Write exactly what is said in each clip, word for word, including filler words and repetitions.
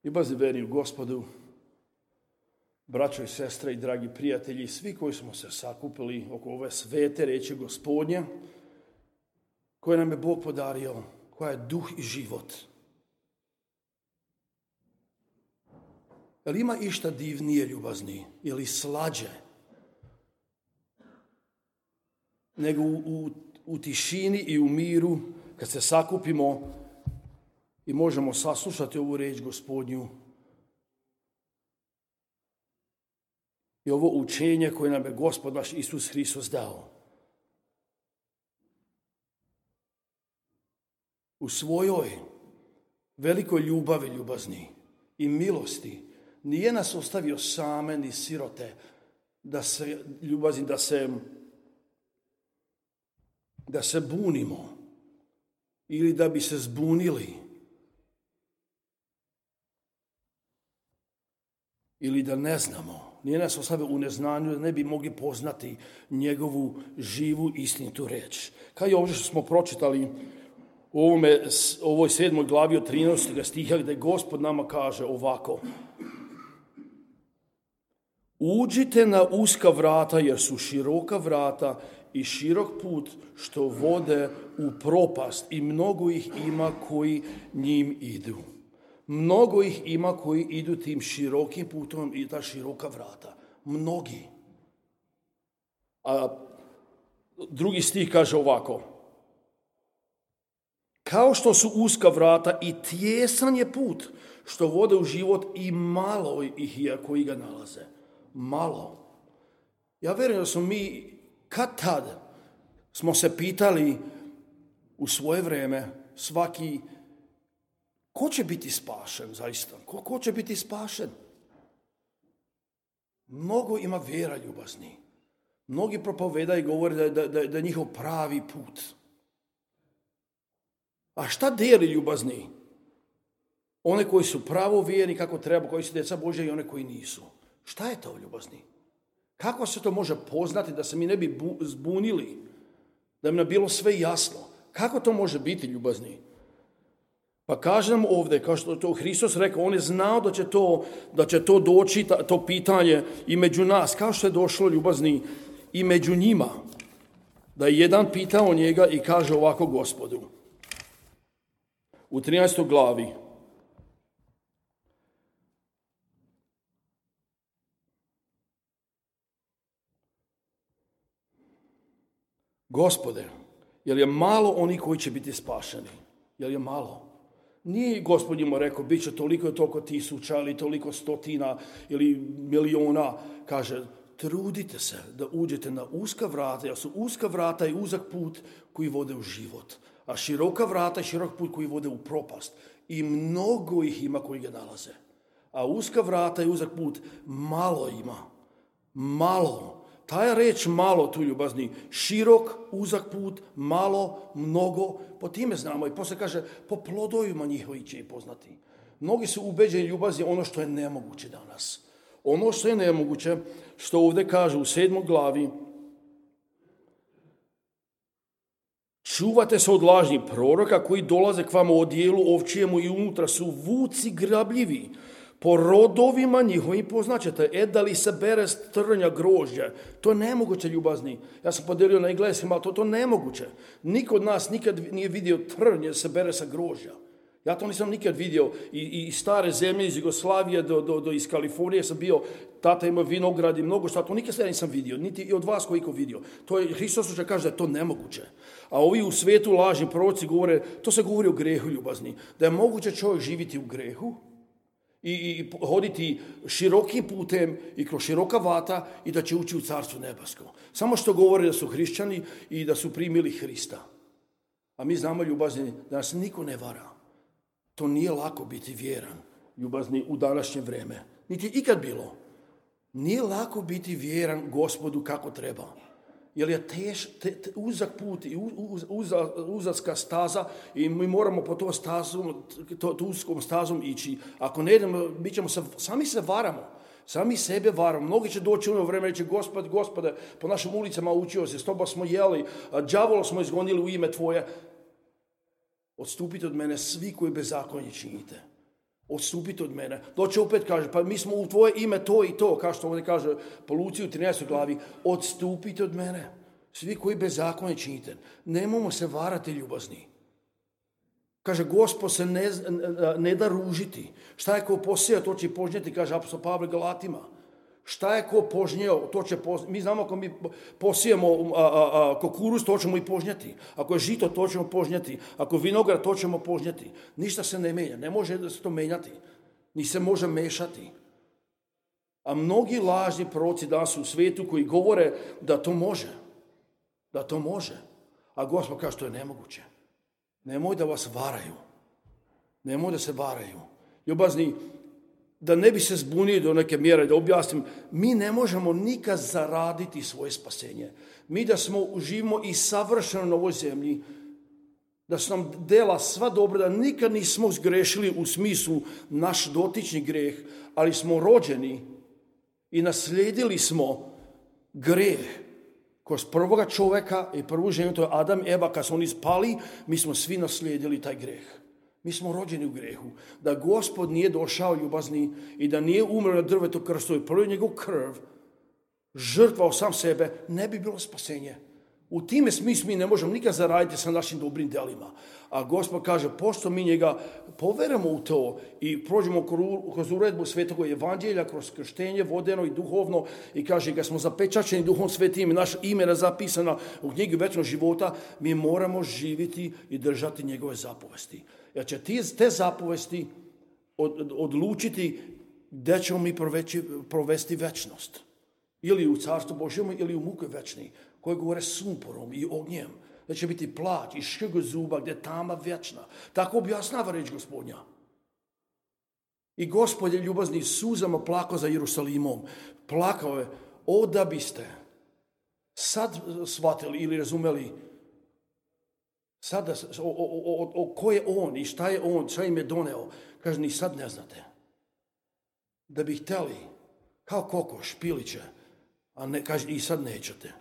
Ljubazni veri u Gospodu, braćo i sestre i dragi prijatelji, svi koji smo se sakupili oko ove svete riječi Gospodnje, koje nam je Bog podario, koja je duh i život. Jel ima išta divnije, ljubazni, ili slađe, nego u, u, u tišini i u miru, kad se sakupimo i možemo saslušati ovu riječ Gospodnju i ovo učenje koje nam je Gospod naš Isus Hristos dao. U svojoj velikoj ljubavi, ljubazni, i milosti nije nas ostavio same ni sirote, da se, ljubazni, da se, da se bunimo ili da bi se zbunili ili da ne znamo. Nije nas ostavio u neznanju da ne bi mogli poznati njegovu živu istinitu reč. Kao i ovdje što smo pročitali u ovome, ovoj sedmoj glavi od trinaestog stiha gdje Gospod nama kaže ovako: uđite na uska vrata jer su široka vrata i širok put što vode u propast i mnogo ih ima koji njim idu. Mnogo ih ima koji idu tim širokim putom i ta široka vrata. Mnogi. A drugi stih kaže ovako: kao što su uska vrata i tijesan je put što vode u život i malo ih je koji ga nalaze. Malo. Ja vjerujem da smo mi kad tad smo se pitali u svoje vrijeme svaki ko će biti spašen zaista? Ko, ko će biti spašen? Mnogo ima vjera, ljubazni. Mnogi propovedaju i govore da, da, da, da je njihov pravi put. A šta dijeli, ljubazni? One koji su pravovjerni kako treba, koji su djeca Božja i one koji nisu. Šta je to, ljubazni? Kako se to može poznati da se mi ne bi bu, zbunili? Da bi nam bilo sve jasno. Kako to može biti, ljubazni? Pa kaže nam ovdje, kao što to Hristos rekao, on je znao da će to, da će to doći, to pitanje i među nas, kao što je došlo, ljubazni, i među njima. Da je jedan pitao njega i kaže ovako Gospodu. U trinaestoj glavi. Gospode, jel je malo oni koji će biti spašeni? Jel je malo? Nije Gospod njima rekao, bit će toliko i toliko tisuća ili toliko stotina ili miliona. Kaže, trudite se da uđete na uska vrata, jer su uska vrata i uzak put koji vode u život. A široka vrata i širok put koji vode u propast. I mnogo ih ima koji ga nalaze. A uska vrata i uzak put malo ima. Malo. Ta je reč malo tu, ljubazni. Širok, uzak put, malo, mnogo. Po time znamo. I poslije kaže, po plodovima njihovi će i poznati. Mnogi su ubeđeni, ljubazni, ono što je nemoguće danas. Ono što je nemoguće, što ovdje kaže u sedmoj glavi, čuvate se od lažnih proroka koji dolaze k vama u odijelu ovčijemu i unutra su vuci grabljivi. Po rodovima njihovim poznaćete, e da li se bere s trnja grožđa. To je nemoguće, ljubazni. Ja sam podelio na engleskim, ali to to nemoguće. Niko od nas nikad nije vidio trnje se bere sa grožđa. Ja to nisam nikad vidio. I, i stare zemlje iz Jugoslavije do, do, do iz Kalifornije sam bio, tata ima vinograd i mnogo šta, to nikad sve nisam vidio, niti i od vas koji ko vidio. To je, Hristos će kaže da je to nemoguće. A ovi u svijetu lažni proroci govore, to se govori o grehu, ljubazni. Da je moguće čovjek živjeti u grehu, I, i hoditi širokim putem i kroz široka vrata i da će ući u carstvo nebesko. Samo što govore da su hrišćani i da su primili Hrista. A mi znamo, ljubazni, da nas niko ne vara. To nije lako biti vjeran, ljubazni, u današnje vrijeme. Niti ikad bilo. Nije lako biti vjeran Gospodu kako treba. Jer je teš, te, te, uzak put i uz, uz, uzaska staza i mi moramo po to stazom, to, to uzkom stazom ići. Ako ne idemo, mi ćemo se, sami se varamo. Sami sebe varamo. Mnogi će doći u ono vreme i reći, Gospod, Gospode, po našim ulicama učio se, s tobom smo jeli, đavola smo izgonili u ime tvoje. Odstupite od mene svi koji bezakonje činite. Odstupite od mene. Doće opet kaže, pa mi smo u tvoje ime to i to, kao što ovdje kaže po Luci u trinaestoj glavi, odstupite od mene. Svi koji bezakonje činite. Nemojmo se varati, ljubazni. Kaže, Gospod se ne, ne da ružiti. Šta je ko posija, to će požnjeti, kaže apostol Pavle Galatima. Šta je ko požnjeo, to će požnjeti. Mi znamo ako mi posijemo a, a, a, kukuruz, to ćemo i požnjeti. Ako je žito, to ćemo požnjeti. Ako je vinograd, to ćemo požnjeti. Ništa se ne menja, ne može se to menjati. Ni se može mešati. A mnogi lažni proroci danas u svijetu koji govore da to može. Da to može. A Gospod kaže, to je nemoguće. Nemoj da vas varaju. Nemoj da se varaju. Ljubazni, da ne bi se zbunili do neke mjere, da objasnim, mi ne možemo nikad zaraditi svoje spasenje. Mi da smo živimo i savršeno na ovoj zemlji, da su nam dela sva dobra, da nikad nismo zgrešili u smislu naš dotični greh, ali smo rođeni i naslijedili smo greh. Kroz prvoga čovjeka i prvu ženu, to je Adam i Eva, kad su oni spali, mi smo svi naslijedili taj greh. Mi smo rođeni u grehu. Da Gospod nije došao, ljubazni, i da nije umro na drvetu krstu i prolio njegov krv, žrtvao sam sebe, ne bi bilo spasenje. U time smislu mi ne možemo nikad zaraditi sa našim dobrim delima. A Gospod kaže, pošto mi njega poveramo u to i prođemo kroz uredbu Svetog Evanđelja, kroz krštenje vodeno i duhovno, i kaže, kad smo zapečačeni Duhom Svetim i naša imena zapisana u knjigi večnog života, mi moramo živjeti i držati njegove zapovesti. Jer će te zapovesti od, odlučiti gdje ćemo mi proveći, provesti večnost. Ili u Carstvu Božjem, ili u muke večni, koje govore sumporom i ognjem. Da će biti plać i škrg zuba, gdje je tama vječna. Tako objasnava reč Gospodnja. I Gospod je ljubazni suzama plakao za Jerusalimom. Plakao je, o da biste sad shvatili ili razumeli sad da, o, o, o, o ko je on i šta je on, šta im je doneo. Kaže, ni sad ne znate. Da bi htjeli, kao kokoš, piliće, a ne, kaže, i sad nećete.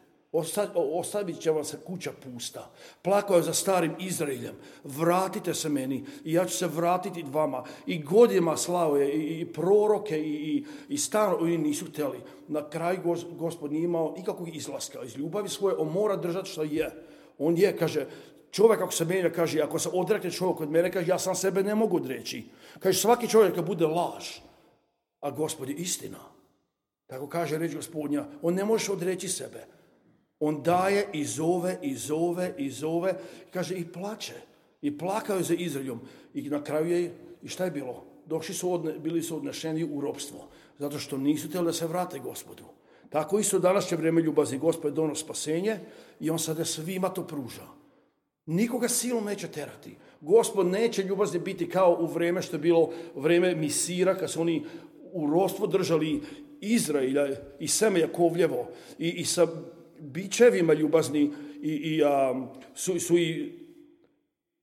Ostavit će vam se kuća pusta. Plakao je za starim Izraeljem. Vratite se meni i ja ću se vratiti vama. I godinama slao je i, i proroke i, i, i stano oni nisu htjeli. Na kraju Gospod nije imao nikakvog izlaska. Iz ljubavi svoje on mora držati što je. On je, kaže, čovjek ako se menja, kaže, ako se odrekne čovjek od mene, kaže, ja sam sebe ne mogu odreći. Kaže, svaki čovjek kad bude laž, a Gospod je istina. Tako kaže reč Gospodnja, on ne može odreći sebe. On daje i zove, i zove, i zove, kaže, i plače. I plakao je za Izraeljom. I na kraju je, i šta je bilo? Došli su, odne, bili su odnešeni u ropstvo. Zato što nisu htjeli da se vrate Gospodu. Tako isto danas će vrijeme ljubazni. Gospod je donio spasenje i on sada svima to pruža. Nikoga silom neće terati. Gospod neće ljubazni biti kao u vrijeme što je bilo vrijeme Misira, kad su oni u ropstvo držali Izraelja i seme Jakovljevo i, i sa bičevima ljubazni i, i a, su, su i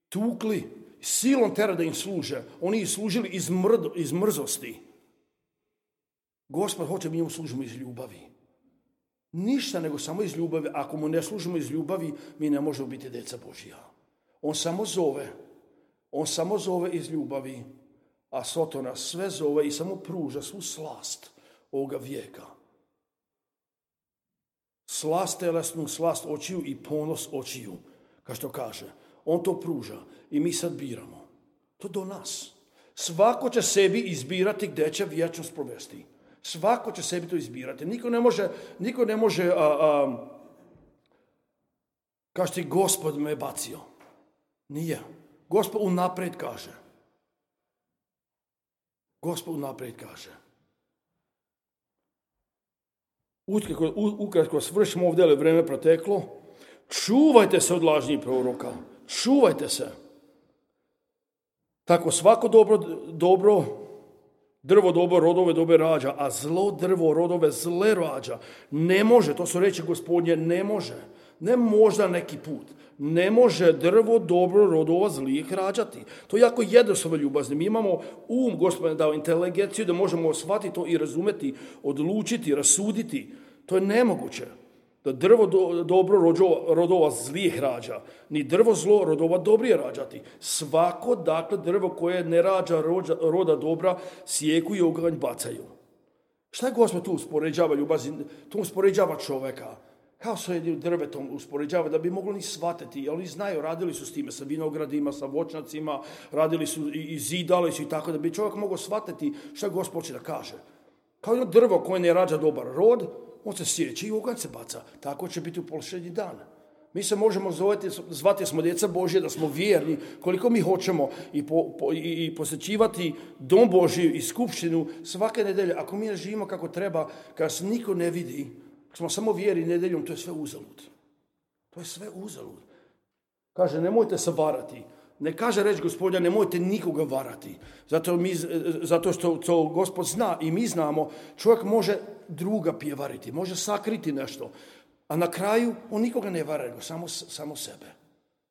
tukli, silom tera da im služe. Oni ih služili iz, mrd, iz mrzosti. Gospod hoće mi njemu služimo iz ljubavi. Ništa nego samo iz ljubavi. Ako mu ne služimo iz ljubavi, mi ne možemo biti djeca Božja. On samo zove. On samo zove iz ljubavi. A Sotona sve zove i samo pruža svu slast ovoga vijeka. Slast telesnu, slast očiju i ponos očiju. Kao što kaže. On to pruža i mi sad biramo. To do nas. Svako će sebi izbirati gdje će vječnost provesti. Svako će sebi to izbirati. Niko ne može, niko ne može a, a, kaže ti, Gospod me bacio. Nije. Gospod unaprijed kaže. Gospod unaprijed kaže. Ukratko, ukratko svršimo ovdje, ali vrijeme proteklo. Čuvajte se od lažnih proroka. Čuvajte se. Tako svako dobro, dobro drvo dobro rodove dobre rađa, a zlo drvo rodove zle rađa. Ne može, to su reči Gospodnje, ne može. Ne možda neki put. Ne može drvo dobro rodova zlijih rađati. To je jako jednostavno, ljubazni. Mi imamo um, Gospodin dao inteligenciju da možemo shvatiti to i razumeti, odlučiti, rasuditi. To je nemoguće. Da drvo do, dobro rođo, rodova zlijeh rađa, ni drvo zlo rodova dobrije rađati. Svako, dakle, drvo koje ne rađa rođa, roda dobra, sjeku i oganj bacaju. Šta je Gospod tu uspoređava ljubazi? Tu uspoređava čoveka. Kao se je drvetom uspoređava, da bi mogli ni shvatiti, ali oni znaju, radili su s time, sa vinogradima, sa voćnacima, radili su i, i zidali su i tako, da bi čovjek mogao shvatiti šta Gospod će da kaže. Kao jedno drvo koje ne rađa dobar rod, on se sjeće i oganj se baca. Tako će biti u posljednji dan. Mi se možemo zvati, zvati smo djeca Božje, da smo vjerni, koliko mi hoćemo i, po, po, i, i posjećivati dom Božji i skupštinu svake nedelje. Ako mi ne živimo kako treba, kada se niko ne vidi, smo samo vjeri nedeljom, to je sve uzalud. To je sve uzalud. Kaže, nemojte se varati. Ne kaže reč Gospodja, nemojte nikoga varati. Zato, mi, zato što to Gospod zna i mi znamo, čovjek može druga pjevariti, može sakriti nešto. A na kraju on nikoga ne vara, nego samo, samo sebe.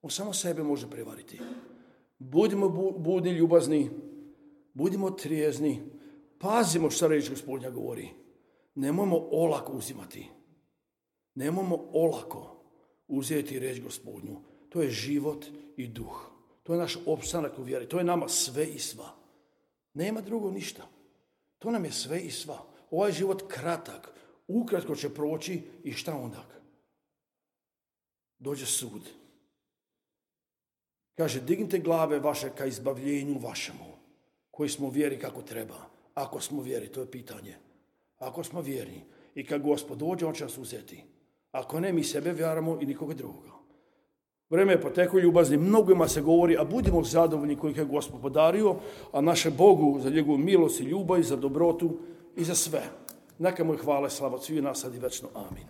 On samo sebe može prevariti. Budimo budni, ljubazni, budimo trijezni, pazimo šta reč Gospodnja govori. Nemojmo olako uzimati. Nemojmo olako uzeti reč Gospodnju. To je život i duh. To je naš opstanak u vjeri. To je nama sve i sva. Nema drugo ništa. To nam je sve i sva. Ovaj život kratak. Ukratko će proći i šta onda? Dođe sud. Kaže, dignite glave vaše ka izbavljenju vašemu, koji smo vjeri kako treba. Ako smo vjeri, to je pitanje. Ako smo vjerni i kad Gospod dođe, on će nas uzeti. Ako ne, mi sebe vjeramo i nikoga drugoga. Vreme je poteko, ljubazni, mnogima se govori, a budimo zadovoljni kojih je Gospod podario, a naše Bogu za njegovu milost i ljubav, za dobrotu i za sve. Neka mu je hvala i slava svih nas sad i večno. Amin.